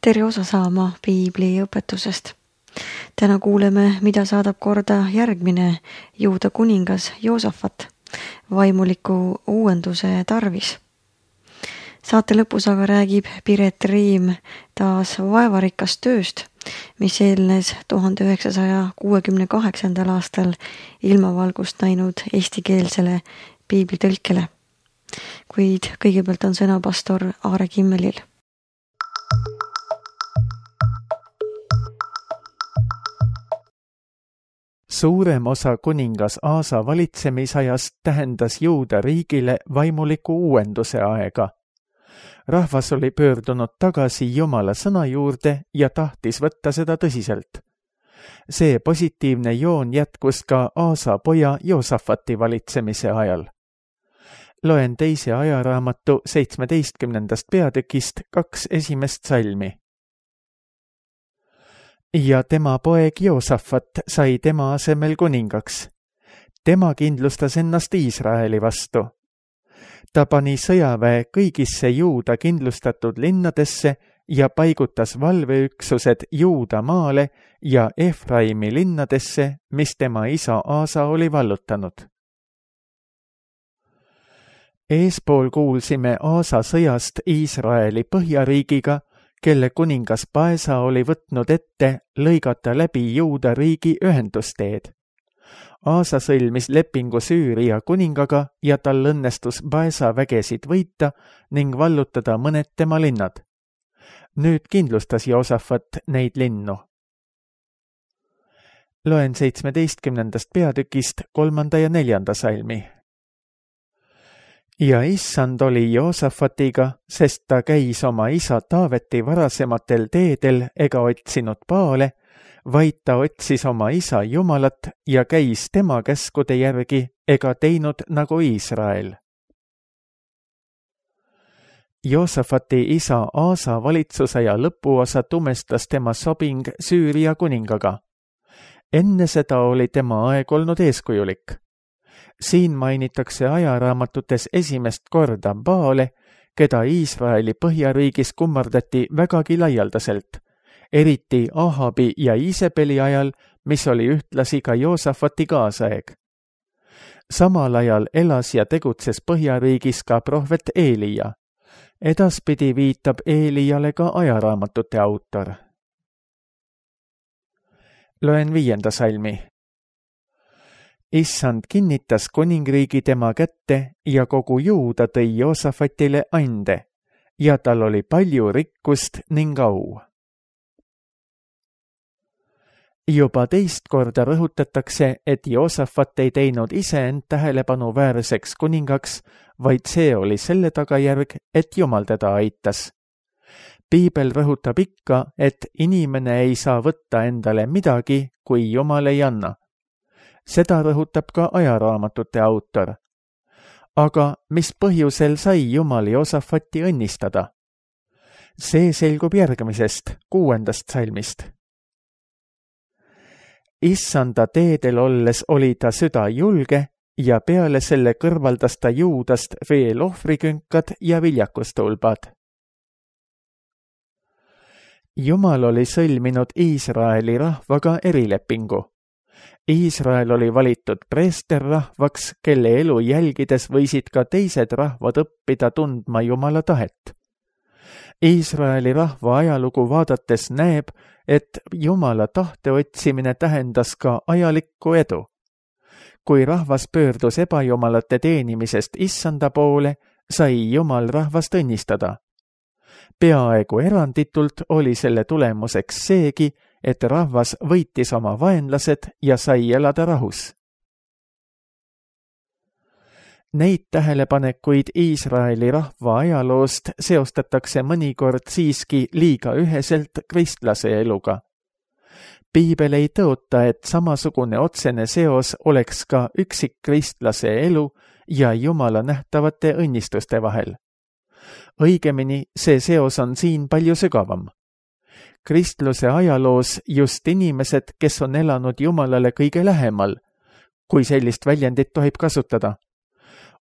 tere osa saama piibli õpetusest. Täna kuuleme, mida saadab korda järgmine Juuda kuningas Joosafat vaimuliku uuenduse tarvis. Saate lõpus aga räägib Piret Riim taas vaevarikast tööst, mis eelnes 1968. aastal ilmavalgust näinud eestikeelsele piiblitõlkele. Kuid kõigepealt on sõna pastor Aare Kimmelil. Suurem osa kuningas Aasa valitsemisajast tähendas Juuda riigile vaimuliku uuenduse aega. Rahvas oli pöördunud tagasi Jumala sõna juurde ja tahtis võtta seda tõsiselt. See positiivne joon jätkus ka Aasa poja Joosafati valitsemise ajal. Loen 2. ajaraamatu 17. peatükist 2 esimest salmi. Ja tema poeg Joosafat sai tema asemel kuningaks. Tema kindlustas ennast Iisraeli vastu. Ta pani sõjaväe kõigisse Juuda kindlustatud linnadesse ja paigutas valveüksused Juuda maale ja Efraimi linnadesse, mis tema isa Aasa oli vallutanud. Eespool kuulsime Aasa sõjast Iisraeli põhjariigiga, kelle kuningas Baesa oli võtnud ette lõigata läbi Juuda riigi ühendusteed. Aasa sõlmis lepingu Süüria kuningaga ja tal õnnestus Baesa vägesid võita ning vallutada mõned tema linnad. Nüüd kindlustas Joosafat neid linnu. Loen 17. peatükist 3. ja 4. salmi. Ja issand oli Joosafatiga, sest ta käis oma isa Taaveti varasematel teedel ega otsinud Baale, vaid ta otsis oma isa Jumalat ja käis tema käskude järgi ega teinud nagu Iisrael. Joosafati isa Aasa valitsusaja lõpuosa tumestas tema sobing Süüria kuningaga. Enne seda oli tema aeg olnud eeskujulik. Siin mainitakse ajaraamatutes esimest korda Baale, keda Iisraeli põhjariigis kummardati vägagi laialdaselt, eriti Ahabi ja Iisebeli ajal, mis oli ühtlasi ka Joosafati kaasaeg. Samal ajal elas ja tegutses põhjariigis ka prohvet Eelija. Edaspidi viitab Eelijale ka ajaraamatute autor. Loen 5. salmi. Issand kinnitas kuningriigi tema kätte ja kogu Juuda tõi Joosafatile ande ja tal oli palju rikkust ning au. Juba teist korda rõhutatakse, et Joosafat ei teinud iseend tähelepanuväärseks kuningaks, vaid see oli selle tagajärg, et Jumal teda aitas. Piibel rõhutab ikka, et inimene ei saa võtta endale midagi, kui Jumal ei anna. Seda rõhutab ka ajaraamatute autor. Aga mis põhjusel sai Jumal Joosafati õnnistada? See selgub järgmisest, 6. salmist. Issanda teedel olles oli ta süda julge ja peale selle kõrvaldas ta Juudast veel ohvrikünkad ja viljakustulbad. Jumal oli sõlminud Iisraeli rahvaga erilepingu. Iisrael oli valitud preesterrahvaks, kelle elu jälgides võisid ka teised rahvad õppida tundma Jumala tahet. Iisraeli rahva ajalugu vaadates näeb, et Jumala tahte otsimine tähendas ka ajalikku edu. Kui rahvas pöördus ebajumalate teenimisest issanda poole, sai Jumal rahvast õnnistada. Peaaegu eranditult oli selle tulemuseks seegi, et rahvas võitis oma vaenlased ja sai elada rahus. Neid tähelepanekuid Iisraeli rahva ajaloost seostatakse mõnikord siiski liiga üheselt kristlase eluga. Piibel ei tõota, et samasugune otsene seos oleks ka üksikkristlase elu ja Jumala nähtavate õnnistuste vahel. Õigemini, see seos on siin palju sügavam. Kristluse ajaloos just inimesed, kes on elanud Jumalale kõige lähemal, kui sellist väljendit tohib kasutada,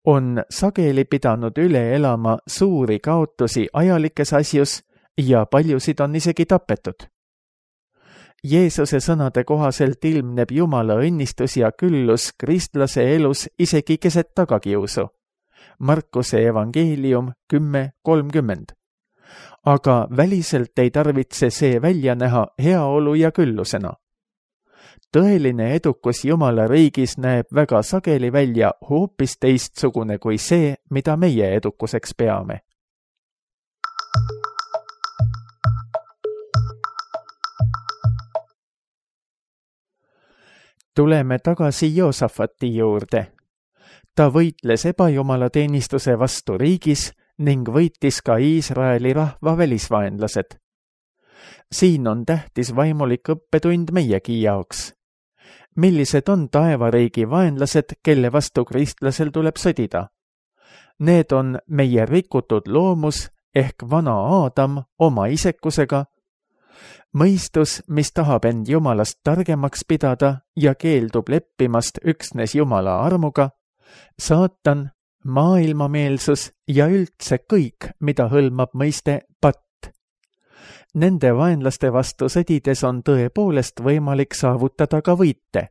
on sageli pidanud üle elama suuri kaotusi ajalikes asjus ja paljusid on isegi tapetud. Jeesuse sõnade kohaselt ilmneb Jumala õnnistus ja küllus kristlase elus isegi keset tagakiusu. Markuse evangeelium 10:30. Aga väliselt ei tarvitse see välja näha heaolu ja küllusena. Tõeline edukus Jumala riigis näeb väga sageli välja hoopis teistsugune kui see, mida meie edukuseks peame. Tuleme tagasi Joosafati juurde. Ta võitles ebajumalateenistuse vastu riigis ning võitis ka Iisraeli rahva välisvaenlased. Siin on tähtis vaimulik õppetund meiegi jaoks. Millised on taevariigi vaenlased, kelle vastu kristlasel tuleb sõdida? Need on meie rikutud loomus ehk vana Aadam oma isekusega, mõistus, mis tahab end Jumalast targemaks pidada ja keeldub leppimast üksnes Jumala armuga, saatan, maailmameelsus ja üldse kõik, mida hõlmab mõiste patt. Nende vaenlaste vastu sõdides on tõepoolest võimalik saavutada ka võite,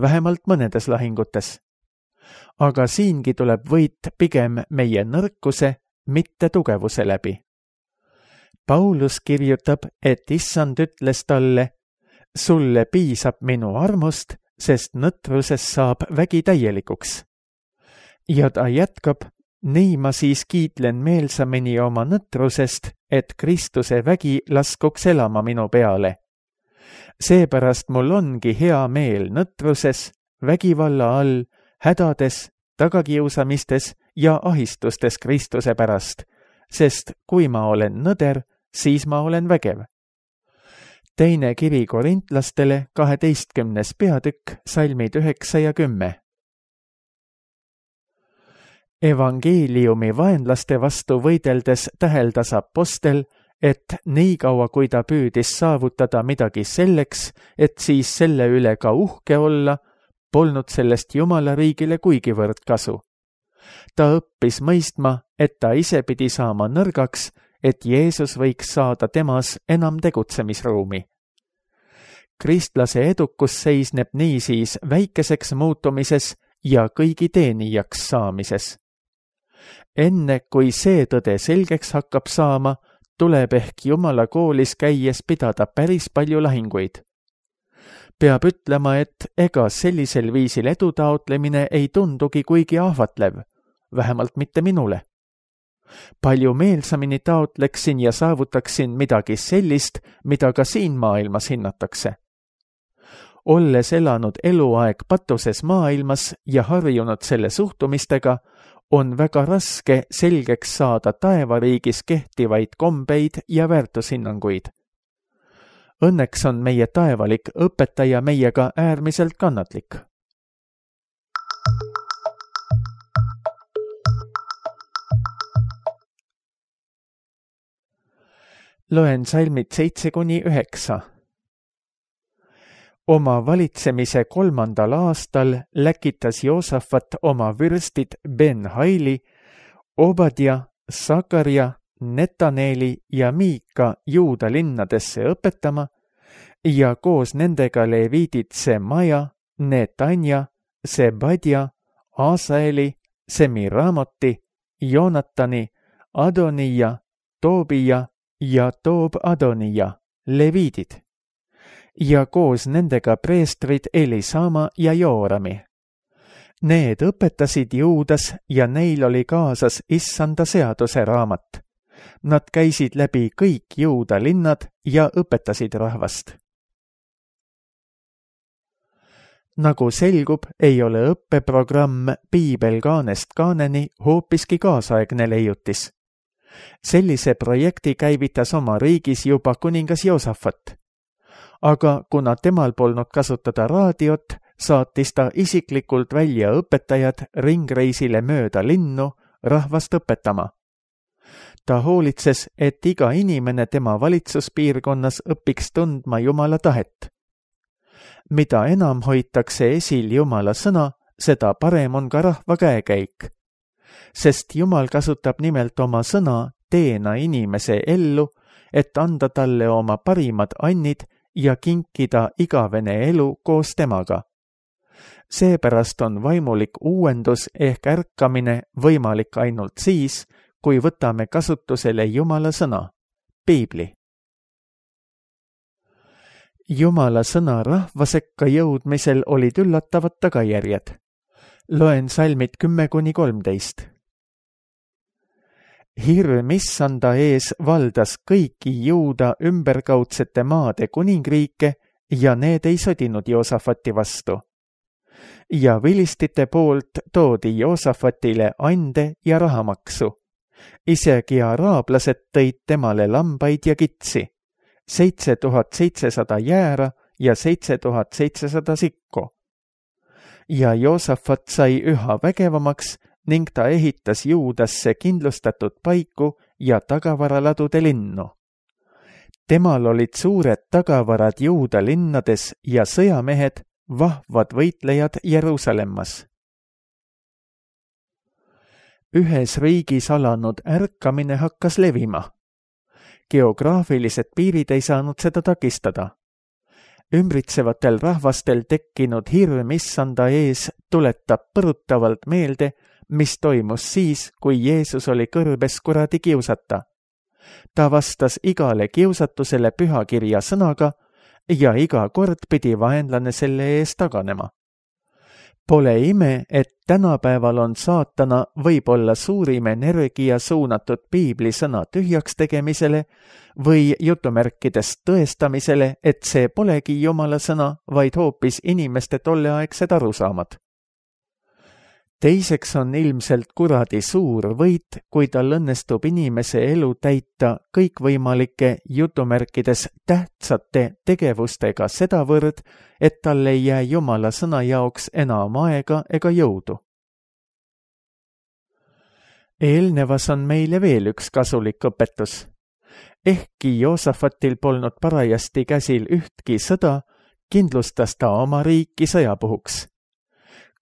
vähemalt mõnedes lahingutes. Aga siingi tuleb võit pigem meie nõrkuse, mitte tugevuse läbi. Paulus kirjutab, et Issand ütles talle, sulle piisab minu armust, sest nõtruses saab vägi täielikuks. Ja ta jätkab, nii ma siis kiitlen meelsamini oma nõtrusest, et Kristuse vägi laskuks elama minu peale. Seepärast mul ongi hea meel nõtruses, vägivalla all, hädades, tagakiusamistes ja ahistustes Kristuse pärast, sest kui ma olen nõder, siis ma olen vägev. Teine kiri korintlastele 12. peatükk, salmid 9 ja 10. Evangeeliumi vaenlaste vastu võideldes täheldas apostel, et niikaua kui ta püüdis saavutada midagi selleks, et siis selle üle ka uhke olla, polnud sellest Jumala riigile kuigivõrd kasu. Ta õppis mõistma, et ta ise pidi saama nõrgaks, et Jeesus võiks saada temas enam tegutsemisruumi. Kristlase edukus seisneb niisiis väikeseks muutumises ja kõigi teenijaks saamises. Enne kui see tõde selgeks hakkab saama, tuleb ehk Jumala koolis käies pidada päris palju lahinguid. Peab ütlema, et ega sellisel viisil edu taotlemine ei tundugi kuigi ahvatlev, vähemalt mitte minule. Palju meelsamini taotleksin ja saavutaksin midagi sellist, mida ka siin maailmas hinnatakse. Olles elanud eluaeg patuses maailmas ja harjunud selle suhtumistega, on väga raske selgeks saada taevariigis kehtivaid kombeid ja väärtushinnanguid. Õnneks on meie taevalik õpetaja meiega äärmiselt kannatlik. Loen salmid 7-9. Oma valitsemise 3. aastal läkitas Joosafat oma vürstid Ben-Haili, Obadja, Sakarja, Netaneeli ja Miika Juuda linnadesse õpetama ja koos nendega leviidid Semaja, Netanja, Sebadja, Asaeli, Semiramoti, Joonatani, Adonija, Toobija ja Toob-Adonija, leviidid. Ja koos nendega preestrid Elisama ja Joorami. Need õpetasid Juudas ja neil oli kaasas Issanda seaduse raamat. Nad käisid läbi kõik Juuda linnad ja õpetasid rahvast. Nagu selgub, ei ole õppeprogramm Piibel kaanest kaaneni hoopiski kaasaegne leiutis. Sellise projekti käivitas oma riigis juba kuningas Joosafat. Aga kuna temal polnud kasutada raadiot, saatis ta isiklikult välja õpetajad ringreisile mööda linnu rahvast õpetama. Ta hoolitses, et iga inimene tema valitsuspiirkonnas õpiks tundma Jumala tahet. Mida enam hoitakse esil Jumala sõna, seda parem on ka rahva käekäik. Sest Jumal kasutab nimelt oma sõna teena inimese ellu, et anda talle oma parimad annid ja kinkida igavene elu koos temaga. Seepärast on vaimulik uuendus ehk ärkamine võimalik ainult siis, kui võtame kasutusele Jumala sõna, Piibli. Jumala sõna rahva sekka jõudmisel olid üllatavad tagajärjed. Loen salmid 10-13. Hirm issanda ees valdas kõiki Juuda ümberkaudsete maade kuningriike ja need ei sodinud Joosafati vastu. Ja vilistite poolt toodi Joosafatile ande ja rahamaksu. Isegi araablased tõid temale lambaid ja kitsi, 7700 jäära ja 7700 sikku. Ja Joosafat sai üha vägevamaks ning ta ehitas Juudasse kindlustatud paiku ja tagavaraladude linnu. Temal olid suured tagavarad Juuda linnades ja sõjamehed, vahvad võitlejad Jeruusalemmas. Ühes riigis alanud ärkamine hakkas levima. Geograafilised piirid ei saanud seda takistada. Ümbritsevatel rahvastel tekkinud hirm issanda ees tuletab põrutavalt meelde, mis toimus siis, kui Jeesus oli kõrbes kuradi kiusata. Ta vastas igale kiusatusele pühakirja sõnaga ja iga kord pidi vaenlane selle ees taganema. Pole ime, et tänapäeval on saatana võib-olla suurim energia suunatud piibli sõna tühjaks tegemisele või jutumärkidest tõestamisele, et see polegi Jumala sõna, vaid hoopis inimeste tolleaegsed arusaamad. Teiseks on ilmselt kuradi suur võit, kui tal õnnestub inimese elu täita kõikvõimalike jutumärkides tähtsate tegevustega sedavõrd, et tal ei jää Jumala sõna jaoks enam aega ega jõudu. Eelnevas on meile veel üks kasulik õpetus. Ehkki Joosafatil polnud parajasti käsil ühtki sõda, kindlustas ta oma riiki sõjapuhuks.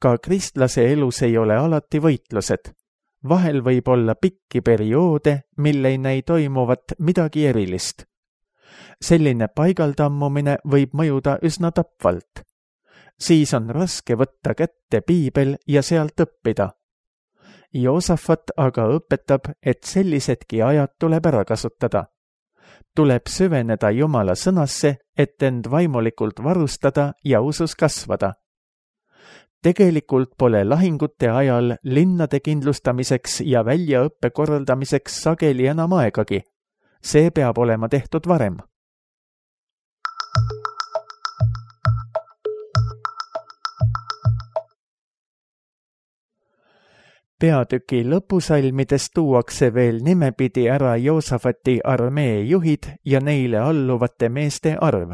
Ka kristlase elus ei ole alati võitlused. Vahel võib olla pikki perioode, mille ei näi toimuvat midagi erilist. Selline paigaldammumine võib mõjuda üsna tapvalt. Siis on raske võtta kätte piibel ja sealt õppida. Joosafat aga õpetab, et sellisedki ajad tuleb ära kasutada. Tuleb süveneda Jumala sõnasse, et end vaimulikult varustada ja usus kasvada. Tegelikult pole lahingute ajal linnade kindlustamiseks ja väljaõppe korraldamiseks sageli enam aegagi. See peab olema tehtud varem. Peatüki lõpusalmides tuuakse veel nimepidi ära Joosafati armee juhid ja neile alluvate meeste arv.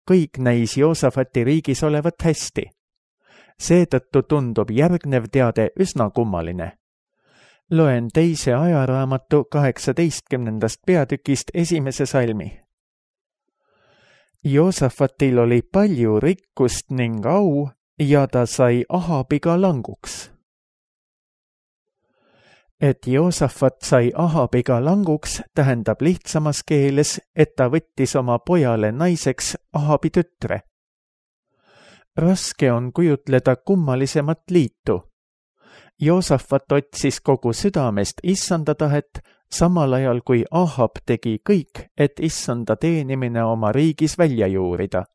Kõik näis Joosafati riigis olevat hästi. Seetõttu tundub järgnev teade üsna kummaline. Loen teise ajaraamatu 18. peatükist 1. salmi. Joosafatil oli palju rikkust ning au ja ta sai Ahabiga languks. Et Joosafat sai Ahabiga languks, tähendab lihtsamas keeles, et ta võttis oma pojale naiseks Ahabi tütre. Raske on kujutleda kummalisemat liitu. Joosafat otsis kogu südamest issanda tahet, samal ajal kui Ahab tegi kõik, et issanda teenimine oma riigis välja juurida.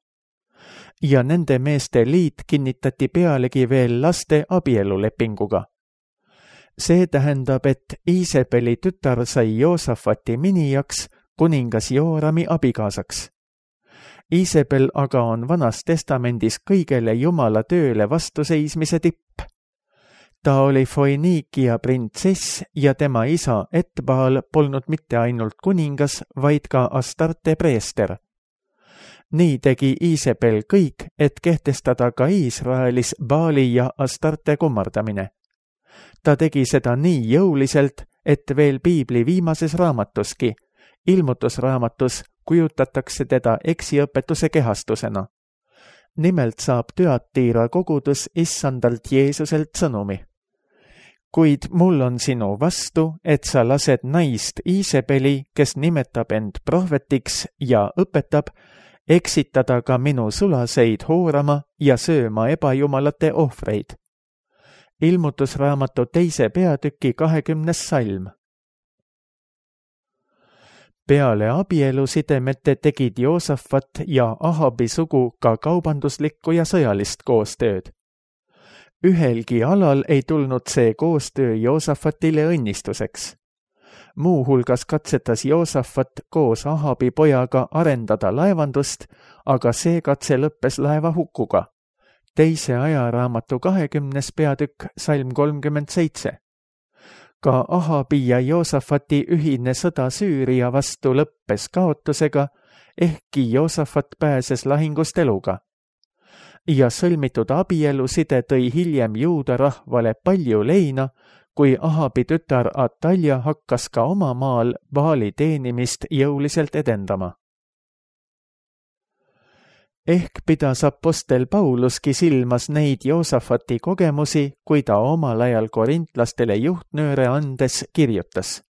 Ja nende meeste liit kinnitati pealegi veel laste abielulepinguga. See tähendab, et Iisebeli tütar sai Joosafati minijaks, kuningas Joorami abikaasaks. Iisebel aga on Vanas Testamendis kõigele Jumala tööle vastuseismise tipp. Ta oli Foiniikia printsess ja tema isa Etbaal polnud mitte ainult kuningas, vaid ka Astarte preester. Nii tegi Iisebel kõik, et kehtestada ka Iisraelis Baali ja Astarte kummardamine. Ta tegi seda nii jõuliselt, et veel piibli viimases raamatuski, ilmutusraamatus, kujutatakse teda eksiõpetuse kehastusena. Nimelt saab Tüatira kogudus issandalt Jeesuselt sõnumi. kuid mul on sinu vastu, et sa lased naist Iisebeli, kes nimetab end prohvetiks ja õpetab, eksitada ka minu sulaseid hoorama ja sööma ebajumalate ohvreid. Ilmutusraamatu 2. peatüki 20. salm. Peale abielusidemete tegid Joosafat ja Ahabi sugu ka kaubanduslikku ja sõjalist koostööd. Ühelgi alal ei tulnud see koostöö Joosafatile õnnistuseks. Muuhulgas katsetas Joosafat koos Ahabi pojaga arendada laevandust, aga see katse lõppes laeva hukkuga. 2. ajaraamatu 20. peatükk, salm 37. Ka Ahabi ja Joosafati ühine sõda Süüria vastu lõppes kaotusega, ehkki Joosafat pääses lahingust eluga. Ja sõlmitud abieluside tõi hiljem juuda rahvale palju leina, kui Ahabi tütar Atalja hakkas ka oma maal Baali teenimist jõuliselt edendama. Ehk pidas apostel Pauluski silmas neid Joosafati kogemusi, kui ta omal ajal korintlastele juhtnööre andes kirjutas.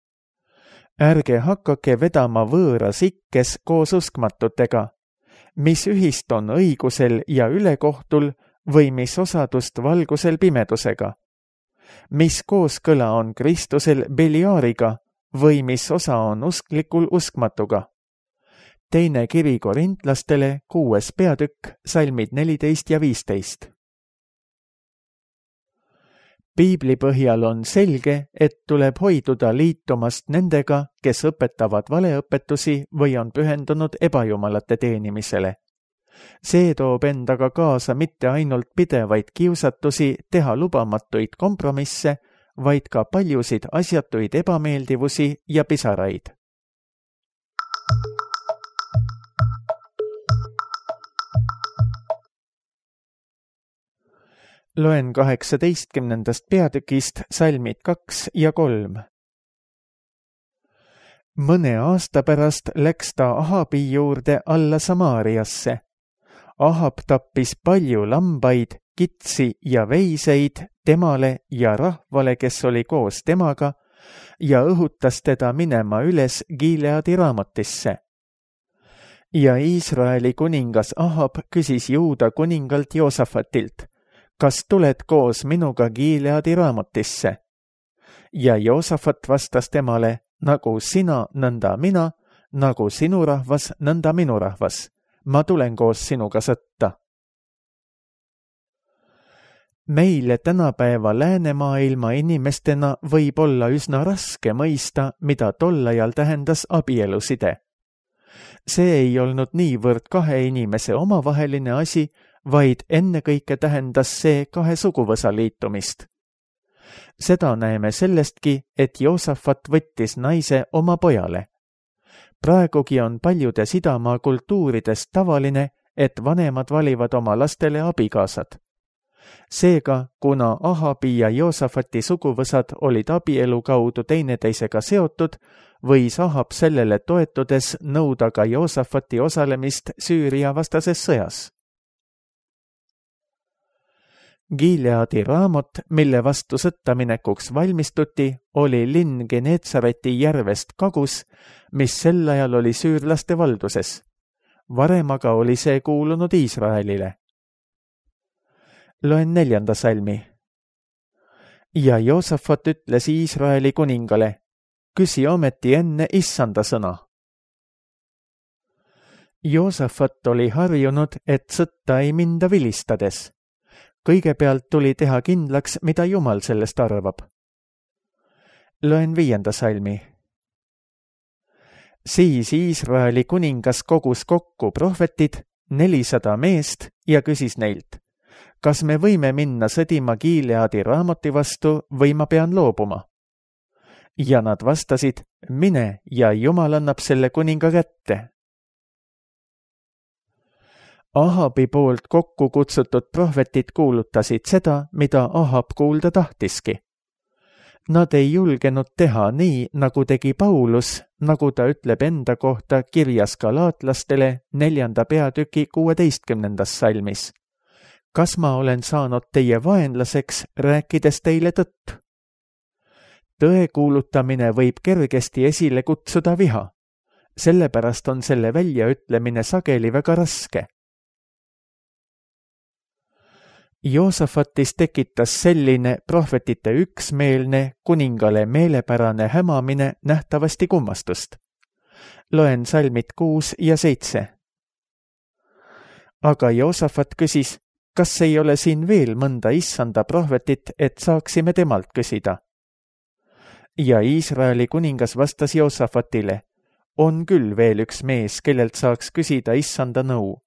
Ärge hakake vedama võõras ikkes koos uskmatutega, mis ühist on õigusel ja ülekohtul või mis osadust valgusel pimedusega, mis kooskõla on Kristusel Beliaariga või mis osa on usklikul uskmatuga. 2. kiri korintlastele 6. peatükk, salmid 14 ja 15. Piibli põhjal on selge, et tuleb hoiduda liitumast nendega, kes õpetavad valeõpetusi või on pühendunud ebajumalate teenimisele. See toob endaga kaasa mitte ainult pidevaid kiusatusi teha lubamatuid kompromisse, vaid ka paljusid asjatuid ebameeldivusi ja pisaraid. Loen 18. peatükist salmid 2 ja 3. Mõne aasta pärast läks ta Ahabi juurde alla Samaariasse. Ahab tappis palju lambaid, kitsi ja veiseid temale ja rahvale, kes oli koos temaga, ja õhutas teda minema üles Gileadi Raamotisse. Ja Iisraeli kuningas Ahab küsis Juuda kuningalt Joosafatilt, kas tuled koos minuga Gileadi Raamotisse? Ja Joosafat vastas temale, nagu sina, nõnda mina, nagu sinu rahvas, nõnda minu rahvas. Ma tulen koos sinuga sõtta. Meile tänapäeva läänemaailma inimestena võib olla üsna raske mõista, mida tol ajal tähendas abieluside. See ei olnud niivõrd kahe inimese omavaheline asi, vaid ennekõike tähendas see kahe suguvõsa liitumist. Seda näeme sellestki, et Joosafat võttis naise oma pojale. Praegugi on paljudes idamaa kultuurides tavaline, et vanemad valivad oma lastele abikaasad. Seega, kuna Ahabi ja Joosafati suguvõsad olid abielu kaudu teineteisega seotud, võis Ahab sellele toetudes nõuda ka Joosafati osalemist Süüria vastases sõjas. Gileadi Raamot, mille vastu sõtta minekuks valmistuti, oli linn Geneetsareti järvest kagus, mis sel ajal oli süürlaste valduses. Varem aga oli see kuulunud Iisraelile. Loen 4. salmi. Ja Joosafat ütles Iisraeli kuningale, küsi ometi enne issanda sõna. Joosafat oli harjunud, et sõtta ei minda vilistades. Kõigepealt tuli teha kindlaks, mida Jumal sellest arvab. Loen 5. salmi. Siis Iisraeli kuningas kogus kokku prohvetid, 400 meest, ja küsis neilt, kas me võime minna sõdima Gileadi Raamoti vastu või ma pean loobuma? Ja nad vastasid, mine ja Jumal annab selle kuninga kätte. Ahabi poolt kokku kutsutud prohvetid kuulutasid seda, mida Ahab kuulda tahtiski. Nad ei julgenud teha nii, nagu tegi Paulus, nagu ta ütleb enda kohta kirjas galaatlastele 4. peatüki 16. salmis. Kas ma olen saanud teie vaenlaseks, rääkides teile tõtt? tõe kuulutamine võib kergesti esile kutsuda viha. Sellepärast on selle väljaütlemine sageli väga raske. Joosafatis tekitas selline prohvetite üksmeelne, kuningale meelepärane hämamine nähtavasti kummastust. Loen salmid 6 ja 7. Aga Joosafat küsis, kas ei ole siin veel mõnda issanda prohvetit, et saaksime temalt küsida? Ja Iisraeli kuningas vastas Joosafatile, on küll veel üks mees, kellelt saaks küsida issanda nõu,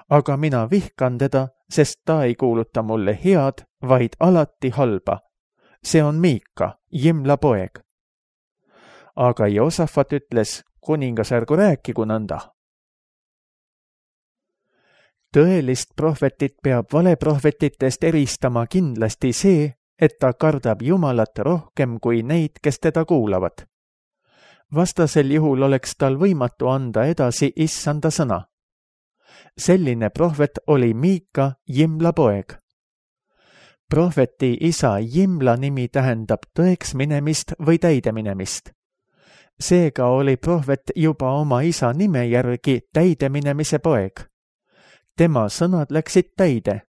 aga mina vihkan teda, sest ta ei kuuluta mulle head, vaid alati halba. See on Miika, Jimla poeg. Aga Joosafat ütles, kuningas ärgu rääkigu nõnda. Tõelist prohvetit peab valeprohvetitest eristama kindlasti see, et ta kardab Jumalat rohkem kui neid, kes teda kuulavad. Vastasel juhul oleks tal võimatu anda edasi issanda sõna. Selline prohvet oli Miika, Jimla poeg. Prohveti isa Jimla nimi tähendab tõeks minemist või täide minemist. Seega oli prohvet juba oma isa nime järgi täide minemise poeg. Tema sõnad läksid täide.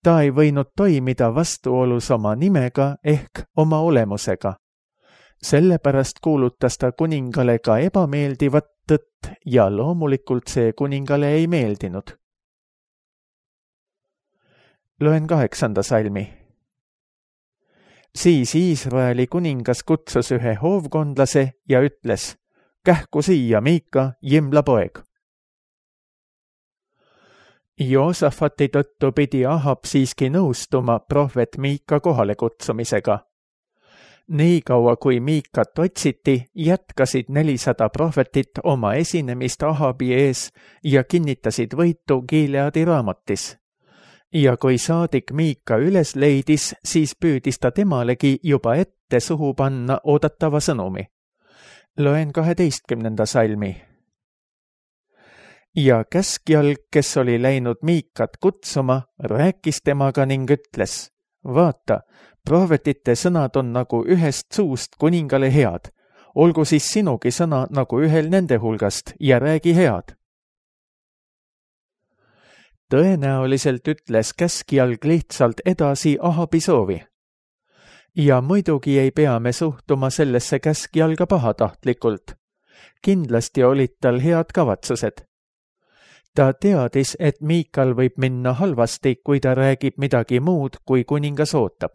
Ta ei võinud toimida vastuolus oma nimega ehk oma olemusega. Sellepärast kuulutas ta kuningale ka ebameeldivat tõtt ja loomulikult see kuningale ei meeldinud. Loen 8. salmi. Siis Iisraeli kuningas kutsus ühe hoovkondlase ja ütles, kähku siia Miika, Jimla poeg. Joosafati tõttu pidi Ahab siiski nõustuma prohvet Miika kohale kutsumisega. Nii kaua kui Miikat otsiti, jätkasid 400 prohvetit oma esinemist Ahabi ees ja kinnitasid võitu Gileadi raamotis. Ja kui saadik Miika üles leidis, siis püüdis ta temalegi juba ette suhu panna oodatava sõnumi. Loen 12. salmi. Ja käskjalg, kes oli läinud Miikat kutsuma, rääkis temaga ning ütles, vaata, prohvetite sõnad on nagu ühest suust kuningale head. Olgu siis sinugi sõna nagu ühel nende hulgast ja räägi head. Tõenäoliselt ütles käskjalg lihtsalt edasi Ahabi soovi. Ja muidugi ei pea me suhtuma sellesse käskjalga pahatahtlikult. Kindlasti olid tal head kavatsused. Ta teadis, et Miikal võib minna halvasti, kui ta räägib midagi muud, kui kuningas ootab.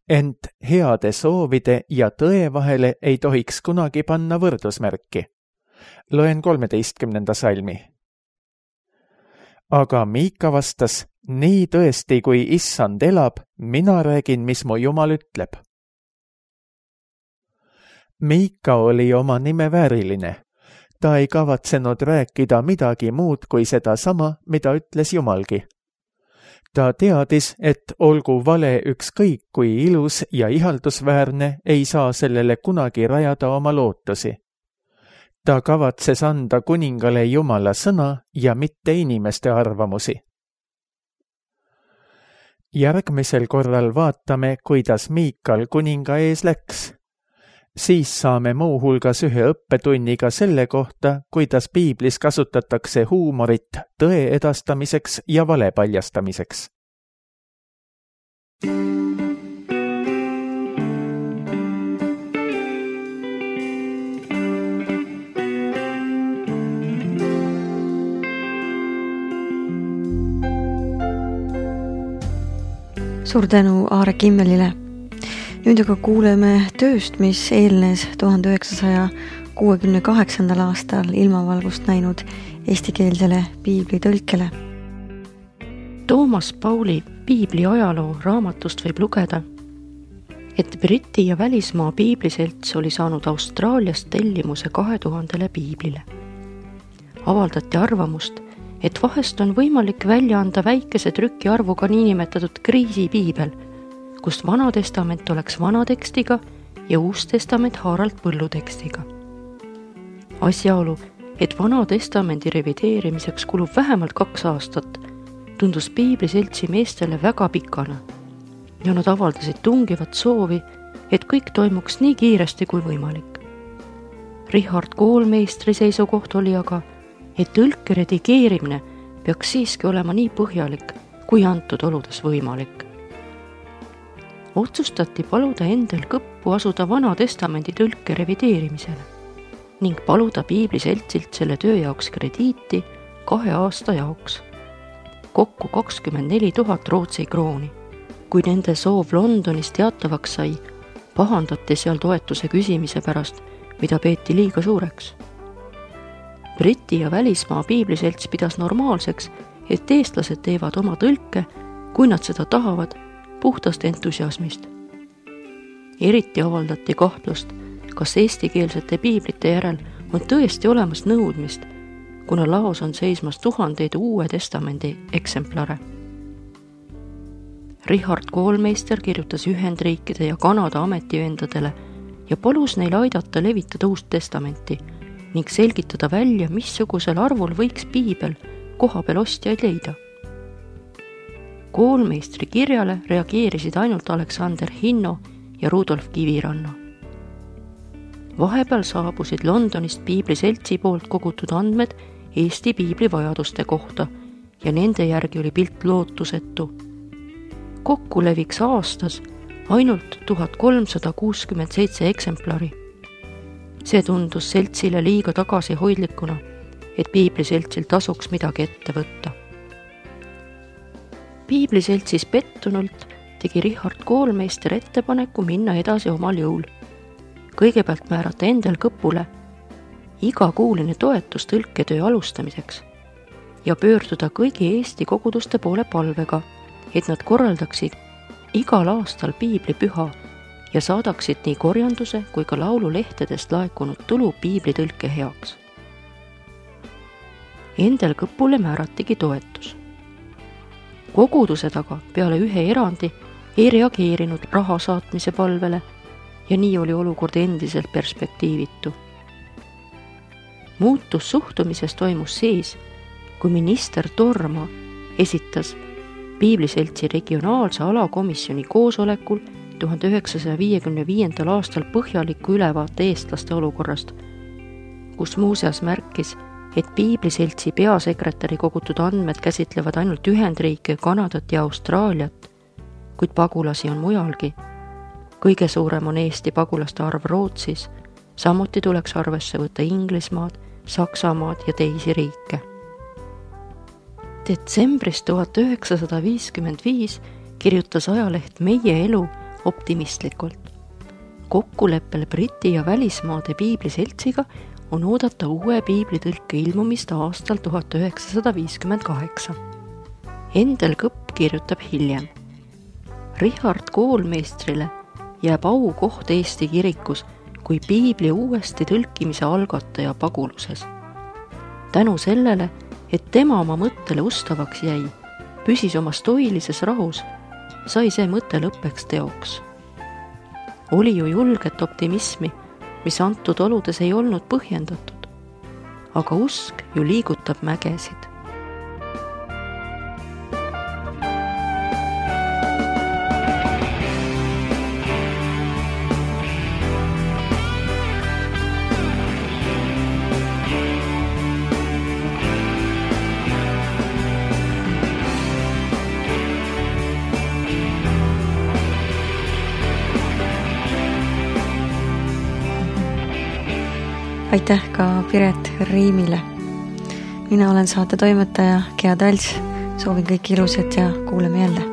Ent heade soovide ja tõe vahele ei tohiks kunagi panna võrdusmärki. Loen 13. salmi. Aga Miika vastas, nii tõesti, kui issand elab, mina räägin, mis mu Jumal ütleb. Miika oli oma nime vääriline. Ta ei kavatsenud rääkida midagi muud kui seda sama, mida ütles Jumalgi. Ta teadis, et olgu vale ükskõik kui ilus ja ihaldusväärne, ei saa sellele kunagi rajada oma lootusi. Ta kavatses anda kuningale Jumala sõna ja mitte inimeste arvamusi. Järgmisel korral vaatame, kuidas Miikal kuninga ees läks. Siis saame muu hulgas ühe õppetunniga selle kohta, kuidas piiblis kasutatakse huumorit tõe edastamiseks ja vale paljastamiseks. Suur tänu Aare Kimmelile. Nüüd aga kuuleme tööst, mis eelnes 1968. aastal ilmavalgust näinud eestikeelsele piiblitõlkele. Toomas Pauli piibli ajaloo raamatust võib lugeda, et Briti ja välismaa piibliselts oli saanud Austraaliast tellimuse 2000 piiblile. Avaldati arvamust, et vahest on võimalik välja anda väikese trükiarvuga niinimetatud kriisipiibel, kus Vana Testament oleks vana tekstiga ja Uus Testament haaralt põllutekstiga. Asjaolu, et Vana Testamendi revideerimiseks kulub vähemalt 2 aastat, tundus piibliseltsi meestele väga pikana ja nad avaldasid tungivat soovi, et kõik toimuks nii kiiresti kui võimalik. Richard Koolmeistri seisukoht oli aga, et tõlke redigeerimine peaks siiski olema nii põhjalik, kui antud oludes võimalik. Otsustati paluda Endel Kõppu asuda Vana Testamendi tõlke revideerimisele ning paluda Piibliseltsilt selle töö jaoks krediiti 2 aasta jaoks. Kokku 24 000 Rootsi krooni. Kui nende soov Londonis teatavaks sai, pahandati seal toetuse küsimise pärast, mida peeti liiga suureks. Briti ja välismaa Piibliselts pidas normaalseks, et eestlased teevad oma tõlke, kui nad seda tahavad, puhtast entusiasmist. Eriti avaldati kahtlust, kas eestikeelsete piiblite järel on tõesti olemas nõudmist, kuna laos on seismas tuhandeid Uue Testamendi eksemplare. Richard Koolmeister kirjutas Ühendriikide ja Kanada ametiühendadele ja palus neil aidata levitada Uut Testamenti ning selgitada välja, missugusel arvul võiks piibel kohapeal ostjaid leida. Koolmeistri kirjale reageerisid ainult Aleksander Hinno ja Rudolf Kiviranna. Vahepeal saabusid Londonist Piibliseltsi poolt kogutud andmed Eesti piibli vajaduste kohta ja nende järgi oli pilt lootusetu. Kokku leviks aastas ainult 1367 eksemplari. See tundus seltsile liiga tagasihoidlikuna, et Piibliseltsil tasuks midagi ette võtta. Piibliseltsis pettunult tegi Richard Koolmeister ettepaneku minna edasi omal jõul. Kõigepealt määrata Endel Kõpule igakuuline toetus tõlketöö alustamiseks ja pöörduda kõigi Eesti koguduste poole palvega, et nad korraldaksid igal aastal piiblipüha ja saadaksid nii korjanduse kui ka laululehtedest laekunud tulu piiblitõlke heaks. Endel Kõpule määratigi toetus. Kogudused aga peale ühe erandi ei reageerinud raha saatmise palvele ja nii oli olukord endiselt perspektiivitu. Muutus suhtumises toimus siis, kui minister Torma esitas Piibliseltsi regionaalse alakomisjoni koosolekul 1955. aastal põhjaliku ülevaate eestlaste olukorrast, kus muuseas märkis, et Piibliseltsi peasekretäri kogutud andmed käsitlevad ainult Ühendriike, Kanadat ja Austraaliat, kuid pagulasi on mujalgi. Kõige suurem on Eesti pagulaste arv Rootsis, samuti tuleks arvesse võtta Inglismaad, Saksamaad ja teisi riike. Detsembris 1955 kirjutas ajaleht Meie elu optimistlikult. Kokkuleppel Briti ja välismaade Piibliseltsiga on oodata uue piiblitõlke ilmumist aastal 1958. Endel Kõpp kirjutab hiljem. Richard Koolmeistrile jääb aukoht Eesti kirikus kui piibli uuesti tõlkimise algataja paguluses. Tänu sellele, et tema oma mõttele ustavaks jäi, püsis oma stoilises rahus, sai see mõte lõppeks teoks. Oli ju julget optimismi, mis antud oludes ei olnud põhjendatud, aga usk ju liigutab mägesid. Aitäh ka Piret Riimile. Mina olen saate toimetaja Gea Tals. Soovin kõik ilusat ja kuuleme jälle.